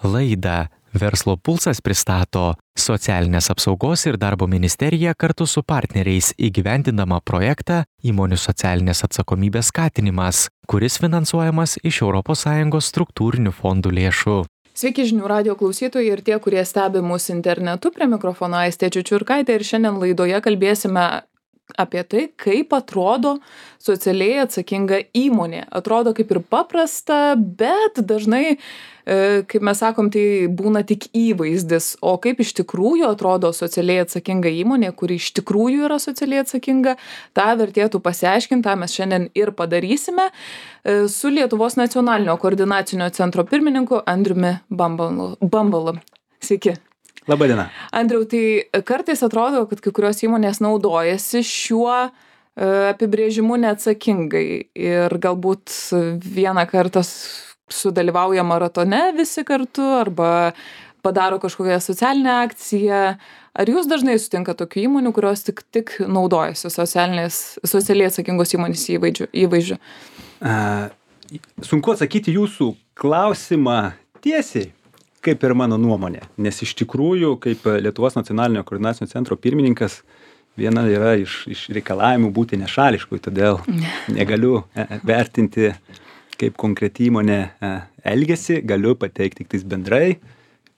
Laidą Verslo pulsas pristato Socialinės apsaugos ir darbo ministerija kartu su partneriais įgyvendindama projektą Įmonių socialinės atsakomybės skatinimas, kuris finansuojamas iš ES struktūrinių fondų lėšų. Sveiki žinių radijo klausytojai ir tie, kurie stebi mus internetu, prie mikrofono Aistė Čiučiurkaitė ir šiandien laidoje kalbėsime apie tai, kaip atrodo socialiai atsakinga įmonė. Atrodo kaip ir paprasta, bet dažnai, kaip mes sakom, tai būna tik įvaizdis. O kaip iš tikrųjų atrodo socialiai atsakinga įmonė, kuri iš tikrųjų yra socialiai atsakinga, tą vertėtų pasiaiškinti, tą mes šiandien ir padarysime su Lietuvos nacionalinio koordinacinio centro pirmininku Andriumi Bambalu. Sveiki. Labadiena. Andriau, tai kartais atrodo, kad kai kurios įmonės naudojasi šiuo apibrėžimu neatsakingai ir galbūt vieną kartą sudalyvauja maratone visi kartu arba padaro kažkokią socialinę akciją. Ar jūs dažnai sutinkat tokių įmonių, kurios tik naudojasi socialiai atsakingos įmonės įvaizdžiu? Sunku atsakyti jūsų klausimą tiesiai, kaip ir mano nuomonė, nes iš tikrųjų, kaip Lietuvos nacionalinio koordinacinio centro pirmininkas, viena yra iš reikalavimų būti nešališkui, todėl negaliu vertinti, kaip konkreti įmonė elgiasi, galiu pateikti tik tais bendrai,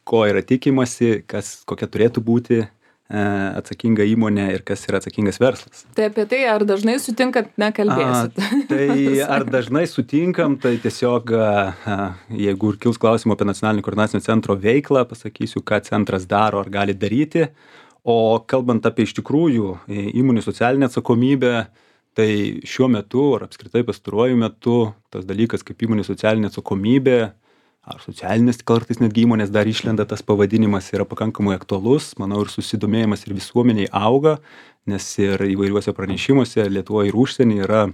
ko yra tikimasi, kokia turėtų būti atsakinga įmonė ir kas yra atsakingas verslas. Tai apie tai, ar dažnai sutinkat, nekalbėsit? Tai ar dažnai sutinkam, tai tiesiog, jeigu ir kils klausimų apie nacionalinį koordinacinio centro veiklą, pasakysiu, ką centras daro ar gali daryti. O kalbant apie iš tikrųjų įmonių socialinę atsakomybę, tai šiuo metu ar apskritai pastaruoju metu tas dalykas kaip įmonių socialinė atsakomybė, ar socialinis kartais netgi įmonės dar išlenda tas pavadinimas yra pakankamai aktualus, manau ir susidomėjimas ir visuomeniai auga, nes ir įvairiuose pranešimuose Lietuvoje ir užsienį yra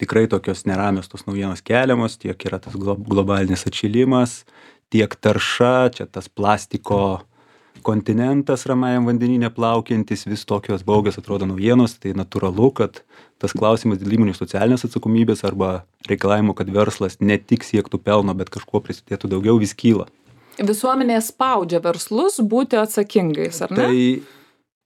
tikrai tokios neramios tos naujienos keliamos, tiek yra tas globalinis atšilimas, tiek tarša, čia tas plastiko kontinentas Ramajam vandenyne plaukiantis, vis tokios baugios atrodo naujienos, tai natūralu, kad tas klausimas dėl įmonių socialinės atsakomybės arba reikalavimo, kad verslas ne tik siektų pelno, bet kažkuo prisidėtų daugiau, vis kyla. Visuomenė spaudžia verslus būti atsakingais, ar ne? Tai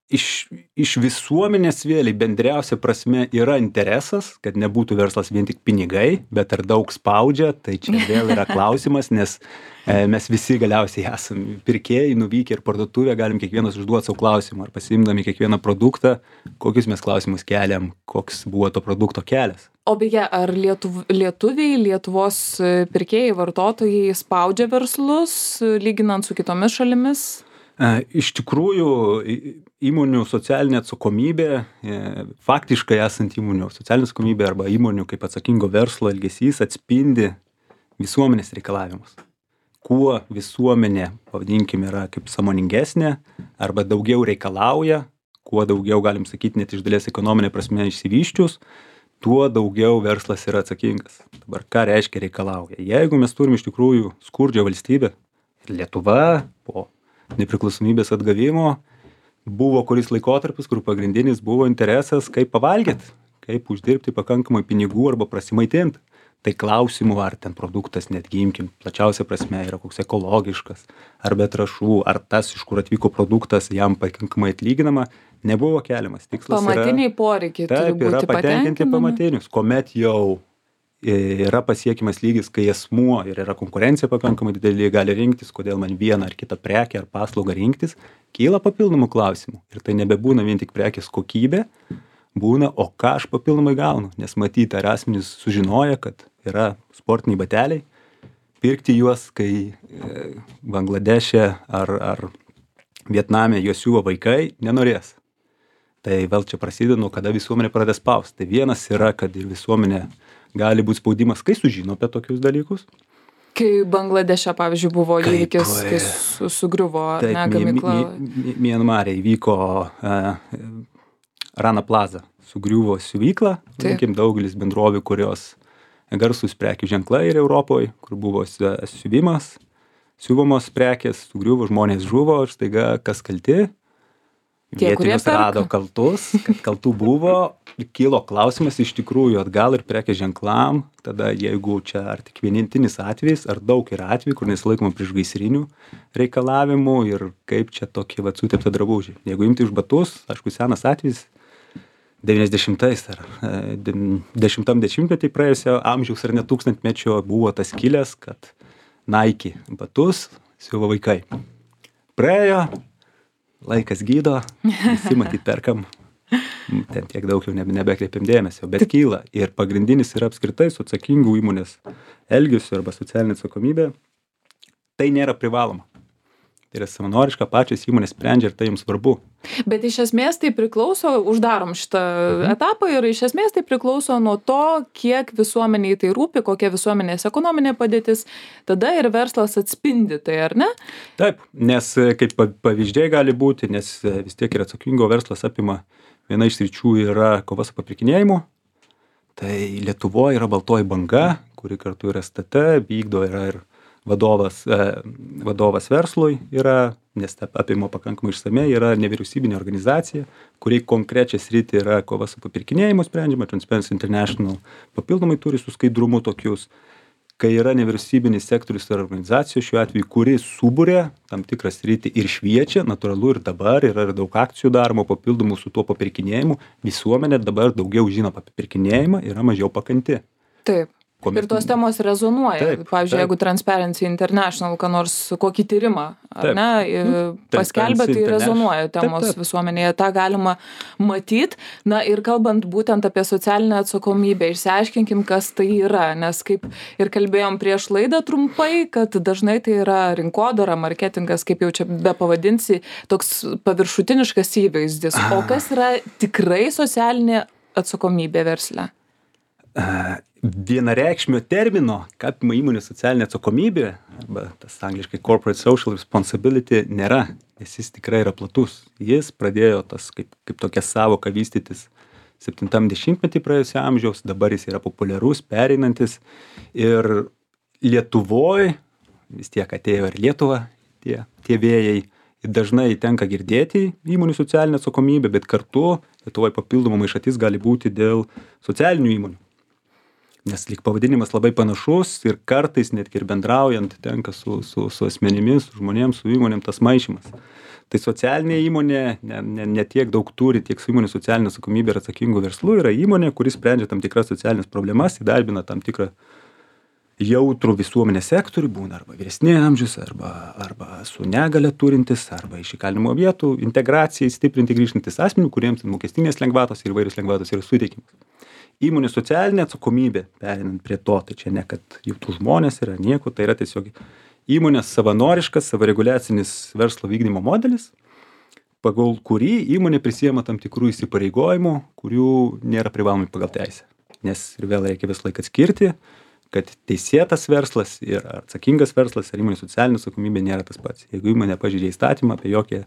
iš visuomenės vėliai bendriausia prasme yra interesas, kad nebūtų verslas vien tik pinigai, bet ar daug spaudžia, tai čia vėl yra klausimas, nes mes visi galiausiai esame pirkėjai, nuvykę ir parduotuvę, galim kiekvienas užduoti savo klausimą, ar pasiimdami kiekvieną produktą, kokius mes klausimus keliam, koks buvo to produkto kelias. O beje, ar lietuviai, Lietuvos pirkėjai, vartotojai spaudžia verslus, lyginant su kitomis šalimis? Iš tikrųjų, įmonių socialinė atsakomybė, faktiškai esant įmonių socialinė atsakomybė arba įmonių kaip atsakingo verslo elgesys atspindi visuomenės reikalavimus. Kuo visuomenė, pavadinkime, yra kaip sąmoningesnė arba daugiau reikalauja, kuo daugiau, galim sakyti, net iš dalies ekonominė prasme išsivyščius, tuo daugiau verslas yra atsakingas. Dabar ką reiškia reikalauja? Jeigu mes turim iš tikrųjų skurdžią valstybę, Lietuva po nepriklausomybės atgavimo buvo kuris laikotarpis, kur pagrindinis buvo interesas, kaip pavalgyti, kaip uždirbti pakankamai pinigų arba prasimaitinti. Tai klausimų, ar ten produktas, netgi imkim, plačiausia prasme yra koks ekologiškas, ar be trąšų, ar tas, iš kur atvyko produktas, jam pakankamai atlyginama, nebuvo keliamas. Tikslas pamatiniai poreikiai turi būti yra patenkinti pamatinius, kuomet jau yra pasiekimas lygis, kai asmuo ir yra konkurencija pakankamai didelė, gali rinktis, kodėl man vieną ar kitą prekę ar paslaugą rinktis, kyla papildomų klausimų. Ir tai nebebūna vien tik prekės kokybė, būna, o ką aš papildomai gaunu, nes matyti, ar asmenys sužinoja, kad yra sportiniai bateliai, pirkti juos, kai Bangladeše ar Vietname juos siuva vaikai, nenorės. Tai vėl čia prasideda, nuo kada visuomenė pradeda spausti. Tai vienas yra, kad ir visuomenė gali būti spaudimas, kai sužino apie tokius dalykus. Kai Bangladeše, pavyzdžiui, buvo įvykis, kai sugriuvo gamykla. Mianmare įvyko Rana Plaza, sugriuvo siuvyklą, daugelis bendrovių, kurios garsūs prekių ženklai ir Europoje, kur buvo siuvamos prekės, sugriuvo, žmonės žuvo ir staiga kas kalti? Vietinius rado kaltus, kad kaltų buvo, kilo klausimas iš tikrųjų atgal ir prekės ženklam, tada jeigu čia ar tik vienintinis atvejis, ar daug yra atvejų, kur nesilaikoma priešgaisrinių reikalavimų ir kaip čia tokie sutepta drabužiai. Jeigu imti už batus, aišku, senas atvejis, 90-ais ar 10-metį praėjusio amžiaus ar net tūkstantmečio buvo tas kilęs, kad Nike batus siuva vaikai. Praėjo, laikas gydo, visi matyt perkam, ten tiek daug jau nebekreipiam dėmesio, bet kyla. Ir pagrindinis yra apskritai su atsakingų įmonės elgesiu arba socialinė atsakomybė. Tai nėra privaloma. Tai yra savanoriška, pačios įmonės sprendžia ir tai jums svarbu. Bet iš esmės tai priklauso, uždarom šitą etapą ir iš esmės tai priklauso nuo to, kiek visuomeniai tai rūpi, kokia visuomenės ekonominė padėtis, tada ir verslas atspindi tai, ar ne? Taip, nes kaip pavyzdžiai gali būti, nes vis tiek ir atsakingo verslas apima, viena iš sričių yra kova su papirkinėjimu. Tai Lietuvoje yra baltoji banga, kuri kartu yra STT, vykdo yra ir vadovas verslui yra, nes apima pakankamai išsamei, yra nevyriausybinė organizacija, kuri konkrečią sritį yra kova su papirkinėjimu sprendžiama, Transparency International papildomai turi su skaidrumu tokius, kai yra nevyriausybinis sektorius ar organizacijos šiuo atveju, kuri subūrė tam tikrą sritį ir šviečia, natūralu ir dabar yra ir daug akcijų daroma papildomų su tuo papirkinėjimu, visuomenė dabar daugiau žino apie papirkinėjimą, yra mažiau pakanti. Taip. Ir tos temos rezonuoja. Taip, pavyzdžiui, jeigu Transparency International, kokį tyrimą, ar ne, paskelbė, tai rezonuoja temos visuomenėje, tą galima matyti. Na ir kalbant būtent apie socialinę atsakomybę, išsiaiškinkim, kas tai yra, nes kaip ir kalbėjom prieš laidą trumpai, kad dažnai tai yra rinkodara, marketingas, kaip jau čia be pavadinsi, toks paviršutiniškas įvaizdis. O kas yra tikrai socialinė atsakomybė versle? Vienareikšmio termino, ką apima įmonės socialinė atsakomybė, arba tas angliškai corporate social responsibility, nėra, nes jis tikrai yra platus. Jis pradėjo tas kaip tokia savoka vystytis 70-metį praėjusio amžiaus, dabar jis yra populiarus, pereinantis. Ir Lietuvoje, vis tiek atėjo ir Lietuva, tie vėjai, dažnai tenka girdėti įmonių socialinę atsakomybę, bet kartu Lietuvoje papildoma maišatis gali būti dėl socialinių įmonių. Nes lyg pavadinimas labai panašus ir kartais netgi ir bendraujant tenka su asmenimis, su žmonėms, su įmonėm tas maišymas. Tai socialinė įmonė ne tiek daug turi, tiek su įmonė socialinė atsakomybė ir atsakingų verslų yra įmonė, kuris sprendžia tam tikras socialinės problemas, įdarbina tam tikrą jautrų visuomenės sektorių, būna arba vyresni amžius, arba su negale turintis, arba iš įkalinimo vietų, integracijai stiprinti grįžtantis asmenių, kuriems mokestinės lengvatos ir įvairios lengvatos yra suteikimas. Įmonės socialinė atsakomybė, perinant prie to, tai čia ne kad jautrų žmonės yra nieko, tai yra tiesiog įmonės savanoriškas, savireguliacinis verslo vykdymo modelis, pagal kurį įmonė prisiema tam tikrų įsipareigojimų, kurių nėra privalomi pagal teisę. Nes ir vėl reikia vis laiką atskirti, kad teisėtas verslas ir atsakingas verslas ir įmonės socialinė atsakomybė nėra tas pats. Jeigu įmonė pažeidžia įstatymą, apie jokią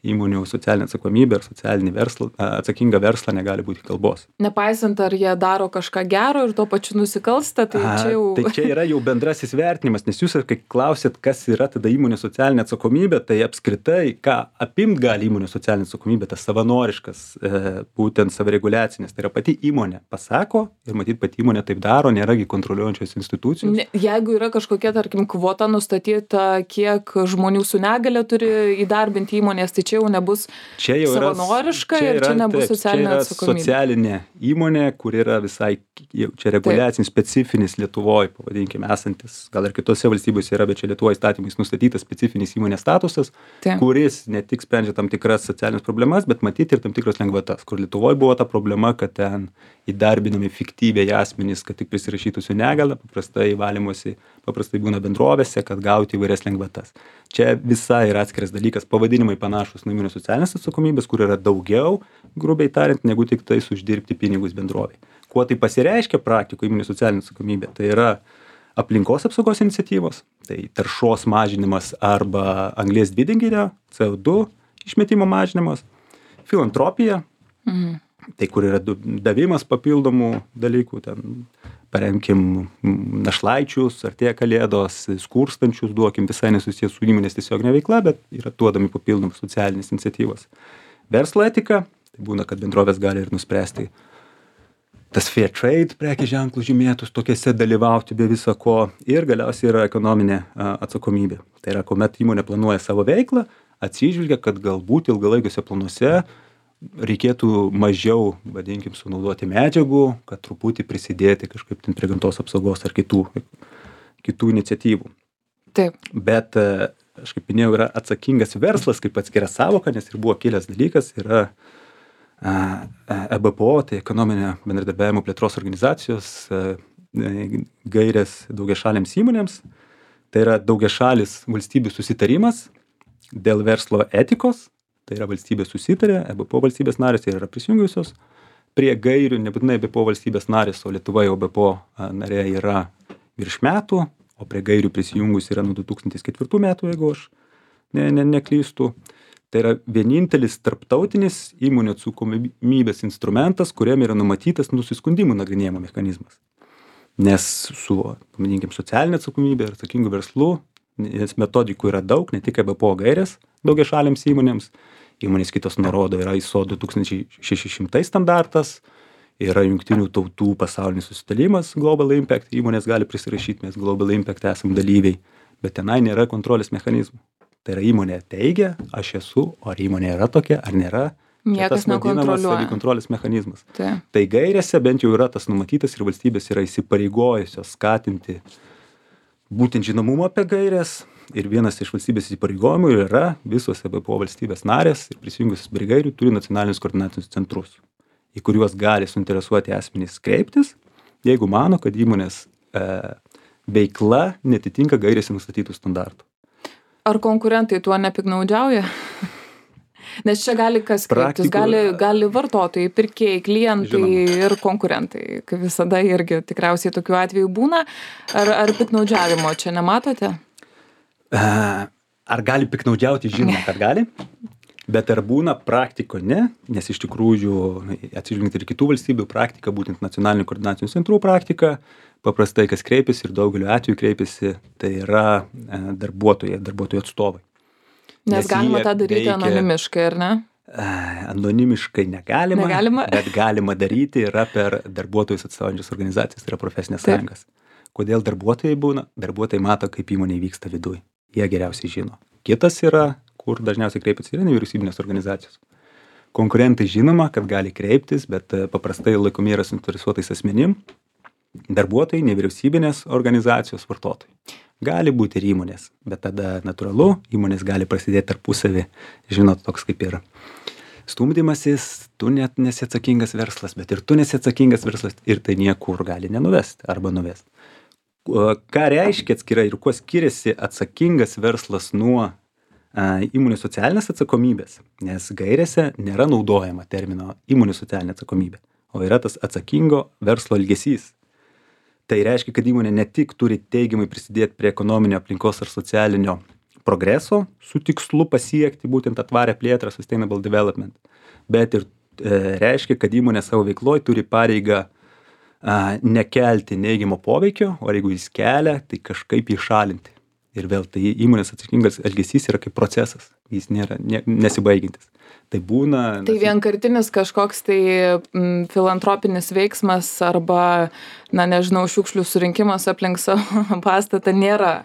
įmonių socialinę atsakomybę ir socialinį verslą, atsakingą verslą negali būti kalbos. Nepaisant, ar jie daro kažką gero ir tuo pačiu nusikalsta, tai čia jau... Tai čia yra jau bendrasis vertinimas, nes jūs, kai klausėt, kas yra tada įmonė socialinė atsakomybė, tai apskritai, ką apimt gali įmonė socialinė atsakomybė, tas savanoriškas, būtent savireguliacinis, tai yra pati įmonė pasako ir matyt, pati įmonė taip daro, nėragi kontroliuojančios institucijos. Jeigu yra kažkokia, tarkim, kvota nustatyta, kiek žmonių su negale turi įdarbinti įmonės, tai čia jau nebus savanoriška ir čia nebus socialinė atsakomybė. Socialinė įmonė, kur yra visai, čia reguliacinis, specifinis Lietuvoje, pavadinkime, esantis, gal ir kitose valstybėse yra, bet čia Lietuvoje įstatymais nustatytas specifinis įmonės statusas, kuris ne tik sprendžia tam tikras socialinės problemas, bet matyti ir tam tikras lengvatas, kur Lietuvoje buvo ta problema, kad ten įdarbinami fiktyviai asmenys, kad tik prisirašytų su negale, paprastai būna bendrovėse, kad gauti įvairias lengvatas. Čia visai yra atskiras dalykas, pavadinimai panašus nuo įmonės socialinės atsakomybės, kur yra daugiau, grubiai tariant, negu tik tais uždirbti pinigus bendroviai. Kuo tai pasireiškia praktikoje įmonės socialinė atsakomybė? Tai yra aplinkos apsaugos iniciatyvos, tai taršos mažinimas arba anglies dvideginio, CO2 išmetimo mažinimas, filantropija, tai kur yra davimas papildomų dalykų, ten paremkim našlaičius, artėja kalėdos, skurstančius, duokim visai nesusijęs su įmonės tiesioginė veikla, bet yra duodami papildomus socialinės iniciatyvos. verslo etika, tai būna, kad bendrovės gali ir nuspręsti tas fair trade prekės ženklų žymėtus tokiuose dalyvauti be viso ko, ir galiausiai yra ekonominė atsakomybė. Tai yra, kuomet įmonė planuoja savo veiklą, atsižvelgia, kad galbūt ilgalaikiuose planuose reikėtų mažiau, vadinkim, sunaudoti medžiagų, kad truputį prisidėti kažkaip ten prie gamtos apsaugos ar kitų iniciatyvų. Taip. Bet, aš kaip minėjau, yra atsakingas verslas kaip atskira savoka, nes ir buvo kilęs dalykas, yra EBPO, tai ekonominio bendradarbiavimo plėtros organizacijos gairės daugiašalėms įmonėms. Tai yra daugiašalis valstybių susitarimas dėl verslo etikos. Tai yra valstybės susitarė, EBPO valstybės narės ir yra prisijungusios prie gairių, nebūtinai EBPO valstybės narės, o Lietuva jau EBPO narė yra virš metų, o prie gairių prisijungus yra nuo 2004 metų, jeigu aš neklystu. Tai yra vienintelis tarptautinis įmonių atsakomybės instrumentas, kuriam yra numatytas nusiskundimų nagrinėjimo mechanizmas. Nes su, paminėkim, socialinė atsakomybė ir atsakingų verslų, nes metodikų yra daug, ne tik EBPO gairės daugiašalėms įmonėms. Įmonės kitos nurodo, yra ISO 2600 standartas, yra Jungtinių tautų pasaulinis susitarimas Global Impact, įmonės gali prisirašyti, mes Global Impact esam dalyviai, bet tenai nėra kontrolės mechanizmų. Tai yra įmonė teigia, aš esu, o ar įmonė yra tokia, ar nėra. Niekas nekontroliuoja. Savikontrolės mechanizmas. Tai gairėse bent jau yra tas numatytas ir valstybės yra įsipareigojusios skatinti būtent žinomumą apie gairės. Ir vienas iš valstybės įsipareigojimų yra visos EBPO valstybės narės ir prisijungusios prie gairių turi nacionalinius koordinacinius centrus, į kuriuos gali suinteresuoti asmenys kreiptis, jeigu mano, kad įmonės veikla netitinka gairėse nustatytų standartų. Ar konkurentai tuo nepiktnaudžiauja? Nes čia gali kas kreiptis, gali vartotojai, pirkėjai, klientai ir konkurentai. Kaip visada irgi tikriausiai tokių atvejų būna. Ar piktnaudžiavimo čia nematote? Ar gali piktnaudžiauti? Žinoma, kad gali. Bet ar būna praktiko? Ne. Nes iš tikrųjų, atsižvelgiant ir kitų valstybių praktika, būtent nacionalinių koordinacinių centrų praktika, paprastai kas kreipiasi ir daugeliu atveju kreipiasi, tai yra darbuotojų atstovai. Nes galima tą daryti anonimiškai, ar ne? Anonimiškai negalima, bet galima daryti yra per darbuotojus atstovaujančias organizacijas, tai yra profesinės sąjungas. Kodėl darbuotojai būna? Darbuotojai mato, kaip įmonė vyksta viduj. Jie geriausiai žino. Kitas yra, kur dažniausiai kreipiasi, yra nevyriausybinės organizacijos. Konkurentai žinoma, kad gali kreiptis, bet paprastai laikomi yra suinteresuotais asmenim. Darbuotojai, nevyriausybinės organizacijos, vartotojai. Gali būti ir įmonės, bet tada natūralu, įmonės gali prasidėti tarpusavį, žinot, toks kaip ir stumdymasis, tu net nesi atsakingas verslas, bet ir tu nesi atsakingas verslas ir tai niekur gali nenuvesti arba nuvesti. Ką reiškia atskirai ir kuo skiriasi atsakingas verslas nuo įmonių socialinės atsakomybės, nes gairėse nėra naudojama termino įmonių socialinė atsakomybė, o yra tas atsakingo verslo elgesys. Tai reiškia, kad įmonė ne tik turi teigiamai prisidėti prie ekonominio, aplinkos ar socialinio progreso su tikslu pasiekti būtent atvarę plėtrą, sustainable development, bet ir reiškia, kad įmonė savo veikloje turi pareigą nekelti neigiamo poveikio, o jeigu jis kelia, tai kažkaip jį šalinti. Ir vėl tai įmonės atsakingas elgesys yra kaip procesas, jis nėra nesibaigiantis. Tai būna... Tai vienkartinis kažkoks tai filantropinis veiksmas arba, šiukšlių surinkimas aplink savo pastatą nėra.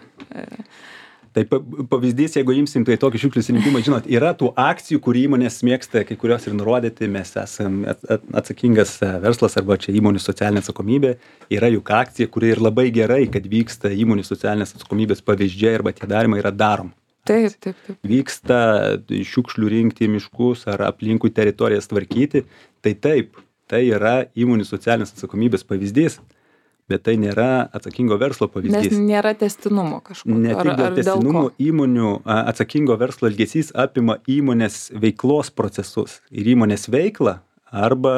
Tai pavyzdys, jeigu imsim tai tokį šiukšlių surinkimą, žinot, yra tų akcijų, kur įmonės mėgsta, kai kurios ir nurodyti, mes esam atsakingas verslas arba čia įmonių socialinė atsakomybė, yra juk akcija, kuri ir labai gerai, kad vyksta įmonių socialinės atsakomybės pavyzdžiai arba tie darymai yra darom. Taip. Vyksta šiukšlių rinkti miškus ar aplinkui teritorijas tvarkyti, tai taip, tai yra įmonių socialinės atsakomybės pavyzdys. Bet tai nėra atsakingo verslo pavyzdys. Nes nėra tęstinumo kažkokio. Ne tik dėl tęstinumo įmonių atsakingo verslo elgesys apima įmonės veiklos procesus ir įmonės veiklą arba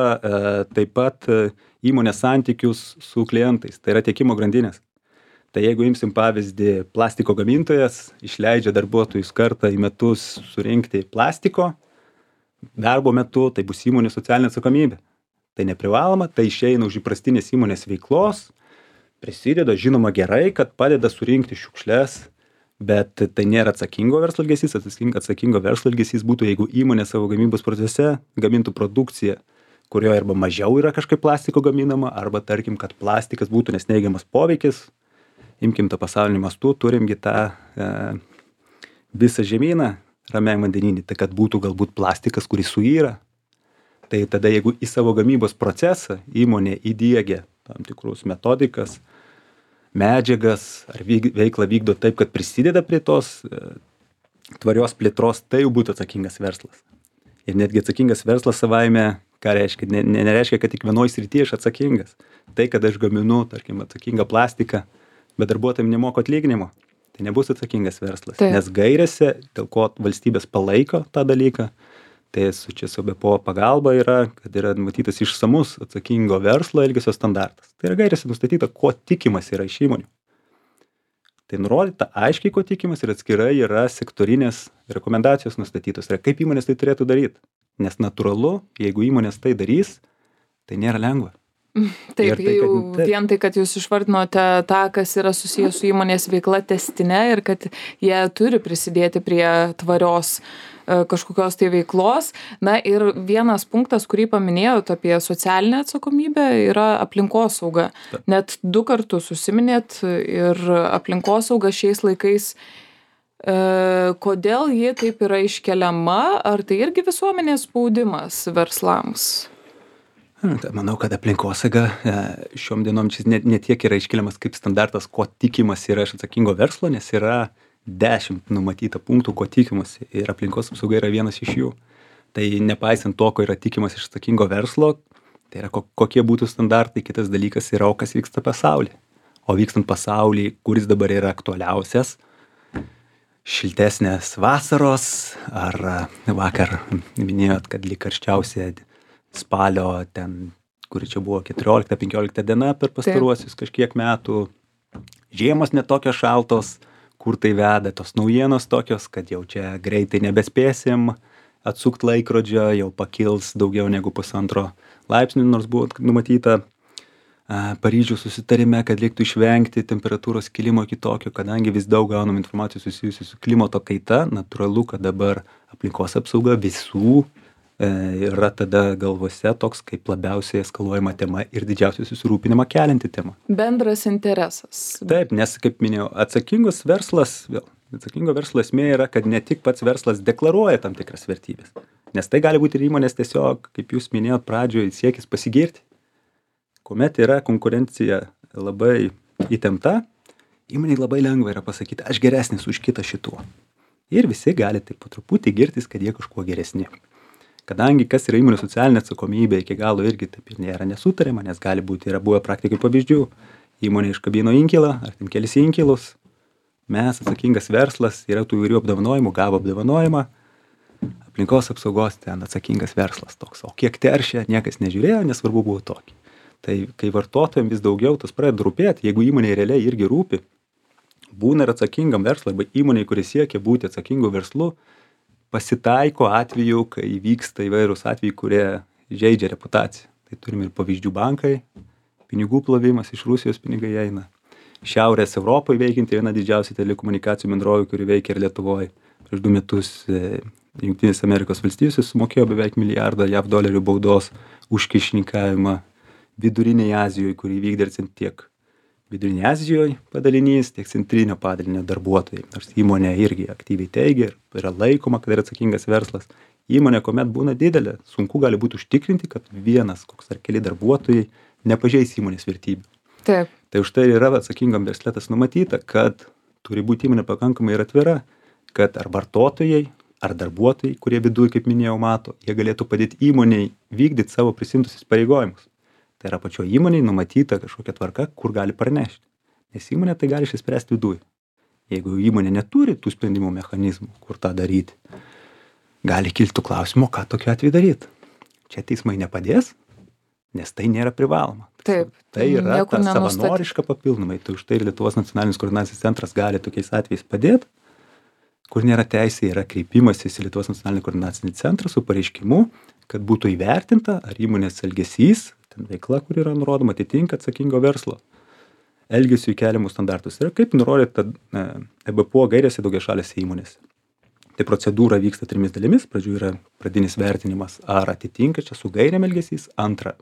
taip pat įmonės santykius su klientais. Tai yra tiekimo grandinės. Tai jeigu imsim pavyzdį, plastiko gamintojas išleidžia darbuotojus kartą į metus surinkti plastiko, darbo metu tai bus įmonių socialinė atsakomybė. Tai neprivaloma, tai išeina už įprastinės įmonės veiklos, prisideda, žinoma gerai, kad padeda surinkti šiukšles, Bet tai nėra atsakingo verslo elgesys. Atsakingo verslo elgesys būtų, jeigu įmonė savo gamybos procese gamintų produkciją, kurioje arba mažiau yra kažkaip plastiko gaminama, arba tarkim, kad plastikas būtų nes neigiamas poveikis. Imkim tą pasaulinį mastų, turimgi tą visą žemyną ramiajam vandeninį, tai kad būtų galbūt plastikas, kuris suyra. Tai tada, jeigu į savo gamybos procesą įmonė įdiegia tam tikrus metodikas, medžiagas ar veiklą vykdo taip, kad prisideda prie tos tvarios plėtros, tai jau būtų atsakingas verslas. Ir netgi atsakingas verslas savaime, ką reiškia, nereiškia, kad tik vienoj srityje aš atsakingas. Tai, kad aš gaminu, tarkim, atsakingą plastiką, bet darbuotojams nemoku atlyginimo, tai nebus atsakingas verslas. Taip. Nes gairėse, dėl ko valstybės palaiko tą dalyką, tai su čia su BPO pagalba yra, kad yra numatytas išsamus atsakingo verslo elgesio standartas. Tai yra gairėse nustatyta, ko tikimas yra iš įmonių. Tai nurodyta aiškiai, ko tikimas ir atskirai yra sektorinės rekomendacijos nustatytos. Ir kaip įmonės tai turėtų daryti. Nes natūralu, jeigu įmonės tai darys, tai nėra lengva. Taip, vien tai, kad jūs išvardinote tą, kas yra susijęs su įmonės veikla testinė ir kad jie turi prisidėti prie tvarios kažkokios tai veiklos. Na ir vienas punktas, kurį paminėjot apie socialinę atsakomybę, yra aplinkosauga. Net 2 kartus užsiminėt ir aplinkosauga šiais laikais. Kodėl ji taip yra iškeliama? Ar tai irgi visuomenės spaudimas verslams? Manau, kad aplinkosauga šiom dienom ne tiek yra iškeliamas kaip standartas, ko tikimas yra iš atsakingo verslo, nes yra 10 numatyta punktų, ko tikimasi. Ir aplinkos apsauga yra vienas iš jų. Tai nepaisant to, ko yra tikimas iš atsakingo verslo, tai yra kokie būtų standartai, kitas dalykas yra, o kas vyksta pasaulyje. O vykstant pasaulyje, kuris dabar yra aktualiausias, šiltesnės vasaros, ar vakar minėjot, kad lyg karščiausia spalio ten, kuri čia buvo 14-15 diena per pastaruosius kažkiek metų, žiemos netokios šaltos, kur tai veda, tos naujienos tokios, kad jau čia greitai nebespėsim atsukti laikrodžio, jau pakils daugiau negu 1,5 laipsnių, nors buvo numatyta Paryžiaus susitarime, kad reiktų išvengti temperatūros kilimo kitokio, kadangi vis daug gaunam informacijos susijusių su klimato kaita, natūralu, kad dabar aplinkos apsauga visų yra tada galvose toks kaip labiausiai eskaluojama tema ir didžiausiai susirūpinimą kelianti tema. Bendras interesas. Taip, nes, kaip minėjau, atsakingo verslo esmė yra, kad ne tik pats verslas deklaruoja tam tikras vertybės, nes tai gali būti ir įmonės tiesiog, kaip jūs minėjot pradžioje, siekis pasigirti. Kuomet yra konkurencija labai įtempta, įmonei labai lengva yra pasakyti, aš geresnis už kitą šituo. Ir visi gali taip po truputį girtis, kad jie kažkuo geresni. Kadangi kas yra įmonių socialinė atsakomybė, iki galo irgi taip ir nėra nesutariama, nes gali būti, yra buvę praktikai pavyzdžių, įmonė iškabino inkilą, ar ten kelis inkilus, mes atsakingas verslas, yra tų įvairių apdovanojimų, gavo apdovanojimą, aplinkos apsaugos ten atsakingas verslas toks, o kiek teršia, niekas nežiūrėjo, nesvarbu buvo tokį. Tai kai vartotojams vis daugiau tas pradeda rūpėti, jeigu įmonė realiai irgi rūpi, būna ir atsakingam verslui, arba įmonė, kuris siekia būti atsakingu verslu, pasitaiko atveju, kai vyksta įvairūs atvejai, kurie žeidžia reputaciją. Tai turime ir pavyzdžių bankai, pinigų plovimas, iš Rusijos pinigai eina. Šiaurės Europoje veikianti viena didžiausių telekomunikacijų bendrovių, kuri veikia ir Lietuvoje. Prieš 2 metus Jungtinės Amerikos valstijos sumokėjo beveik $1 milijardą JAV baudos už kyšininkavimą Vidurinėje Azijoje, kurį vykdė tiek Vidurinėje Azijoje padalinys, tiek centrinio padalinio darbuotojai. Nors įmonė irgi aktyviai teigia ir yra laikoma, kad yra atsakingas verslas. Įmonė, kuomet būna didelė, sunku gali būti užtikrinti, kad vienas, koks ar keli darbuotojai nepažeis įmonės vertybių. Taip. Tai už tai yra atsakingam versletas numatyta, kad turi būti įmonė pakankamai ir atvira, kad ar vartotojai, ar darbuotojai, kurie viduje, kaip minėjau, mato, jie galėtų padėti įmoniai vykdyti savo prisimtus įsipareigojimus. Tai yra pačio įmonėj numatyta kažkokia tvarka, kur gali pranešti. Nes įmonė tai gali išspręsti viduje. Jeigu įmonė neturi tų sprendimų mechanizmų, kur tą daryti, gali kilti klausimų, ką tokiu atveju daryti. Čia teismai nepadės, nes tai nėra privaloma. Taip. Tai yra ta savanoriška papildomai. Tai už tai ir Lietuvos nacionalinis koordinacijos centras gali tokiais atvejais padėti, kur nėra teisė, yra kreipimasis į Lietuvos nacionalinį koordinacinį centrą su pareiškimu, kad būtų įvertinta, ar įmonės elgesys, ten veikla, kur yra nurodoma, atitinka atsakingo verslo elgesiui keliamus standartus. Ir kaip nurodyta EBPO gairėse daugiašalėse įmonėse. Tai procedūra vyksta 3 dalimis. Pradžių yra pradinis vertinimas, ar atitinka čia su gairėm elgesys. Antra,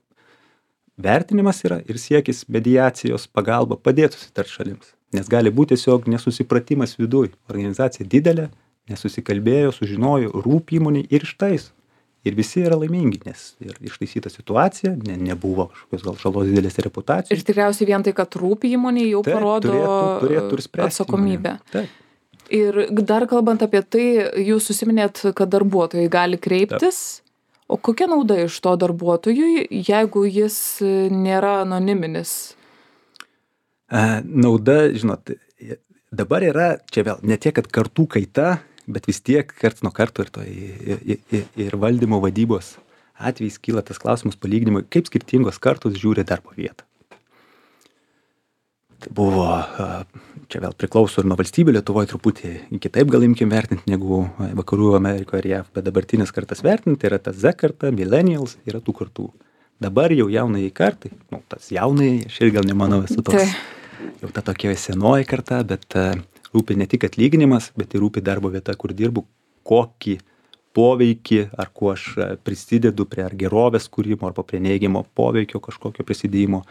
vertinimas yra ir siekis mediacijos pagalba padėti susitarti šalims. Nes gali būti tiesiog nesusipratimas viduj. Organizacija didelė, nesusikalbėjo, sužinojo, rūpi įmonei ir ištaiso. Ir visi yra laimingi, nes ir ištaisyta situacija, nebuvo kažkokios gal žalos didelės reputacijos. Ir tikriausiai vien tai, kad rūpi įmonė, jau parodo turėtų atsakomybę. Taip. Ir dar kalbant apie tai, jūs susiminėt, kad darbuotojai gali kreiptis. Taip. O kokia nauda iš to darbuotojui, jeigu jis nėra anoniminis? Nauda, žinot, dabar yra, čia vėl, ne tiek, kad kartų kaita, bet vis tiek karts nuo karto ir valdymo vadybos atvejais kyla tas klausimas palyginimui, kaip skirtingos kartos žiūri darbo vietą. Tai buvo, čia vėl priklauso ir nuo valstybių, Lietuvoje truputį kitaip gal imkim vertinti negu Vakarų Amerikoje ir JAV, bet dabartinės kartas vertinti yra ta Z karta, millennials, yra tų kartų. Dabar jau jaunai kartai, tas jaunai, aš ir gal nemanau esu toks, jau ta tokia senoji karta, bet rūpi ne tik atlyginimas, bet ir rūpi darbo vieta, kur dirbu, kokį poveikį, ar kuo aš prisidedu prie ar gerovės kūrimo, arba prie neigiamo poveikio kažkokio prisidėjimo.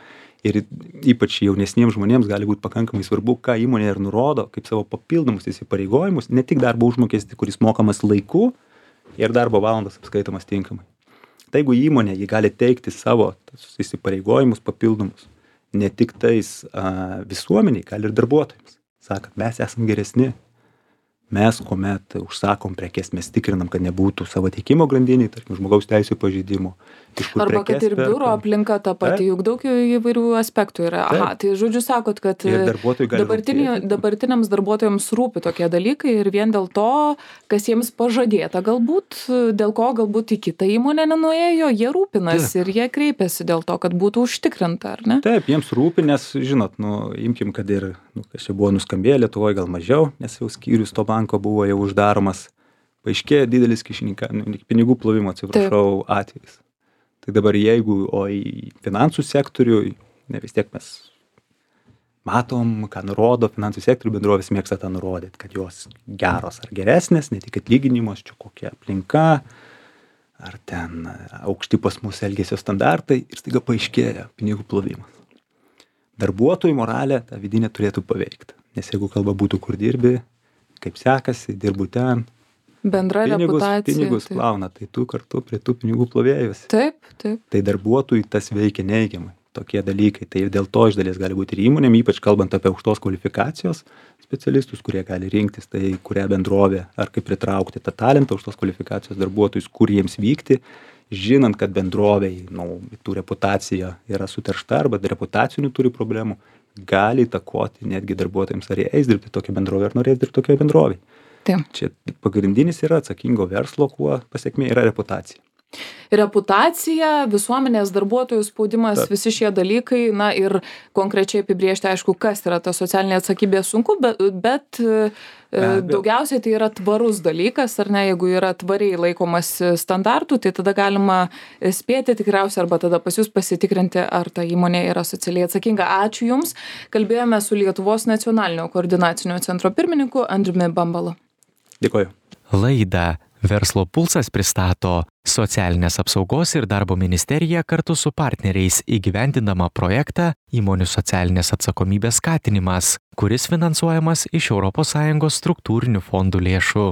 Ir ypač jaunesniems žmonėms gali būti pakankamai svarbu, ką įmonė ir nurodo, kaip savo papildomus įsipareigojimus, ne tik darbo užmokestį, kuris mokamas laiku ir darbo valandas apskaitomas tinkamai. Tai jeigu įmonė, ji gali teikti savo įsipareigojimus papildomus, ne tik tais visuomeniai, gali ir darbuotojams. Sakant, mes esam geresni. Mes, kuomet užsakom prekes, mes tikrinam, kad nebūtų savo tiekimo grandiniai, tarkim, žmogaus teisių pažeidimų. Arba kad ir biuro aplinka ta pati, juk daug įvairių aspektų yra. Aha, tai žodžiu sakot, kad dabartiniams darbuotojams rūpi tokie dalykai ir vien dėl to, kas jiems pažadėta galbūt, dėl ko galbūt į kitą įmonę nenuėjo, jie rūpinasi ir jie kreipiasi dėl to, kad būtų užtikrinta, ar ne? Taip, jiems rūpi, nes, žinot, imkim, kad ir, kas čia buvo nuskambėję Lietuvoje gal mažiau, nes jau skyrius to banko buvo jau uždaromas, paaiškėjo didelis pinigų plovimo, atsiprašau, atvejis. Tai dabar jeigu, o į finansų sektorių, vis tiek mes matom, ką nurodo finansų sektorių, bendrovės mėgsta tą nurodyti, kad jos geros ar geresnės, ne tik atlyginimos, čia kokia aplinka, ar ten aukšti pas mus elgesio standartai ir staiga paaiškėja pinigų plovimas. Darbuotojų moralę tą vidinę turėtų paveikti, nes jeigu kalba būtų, kur dirbi, kaip sekasi, dirbu ten, bendra reputacija. Pinigus plauna, tai tu kartu prie tų pinigų plovėjus. Taip. Tai darbuotojui tas veikia neigiamai, tokie dalykai. Tai ir dėl to iš dalies gali būti ir įmonėm, ypač kalbant apie aukštos kvalifikacijos specialistus, kurie gali rinktis, tai kurią bendrovę, ar kaip pritraukti tą talentą aukštos kvalifikacijos darbuotojus, kur jiems vykti, žinant, kad bendrovėj, tų reputacija yra suteršta arba reputacinių turi problemų, gali įtakoti netgi darbuotojams, ar jie eis dirbti tokią bendrovę, ar norės dirbti tokioje bendrovėje. Čia pagrindinis yra atsakingo verslo, kuo pasiekmė yra reputacija. Reputacija, visuomenės darbuotojų spaudimas, visi šie dalykai, ir konkrečiai apibriežti, aišku, kas yra ta socialinė atsakybė sunku, bet daugiausiai tai yra tvarus dalykas, ar ne, jeigu yra tvariai laikomas standartų, tai tada galima spėti tikriausiai arba tada pas jūs pasitikrinti, ar ta įmonė yra socialiai atsakinga. Ačiū Jums. Kalbėjome su Lietuvos nacionalinio koordinacinio centro pirmininku Andriumi Bambalu. Dėkoju. Laidą Verslo pulsas pristato Socialinės apsaugos ir darbo ministerija kartu su partneriais įgyvendindama projektą Įmonių socialinės atsakomybės skatinimas, kuris finansuojamas iš ES struktūrinių fondų lėšų.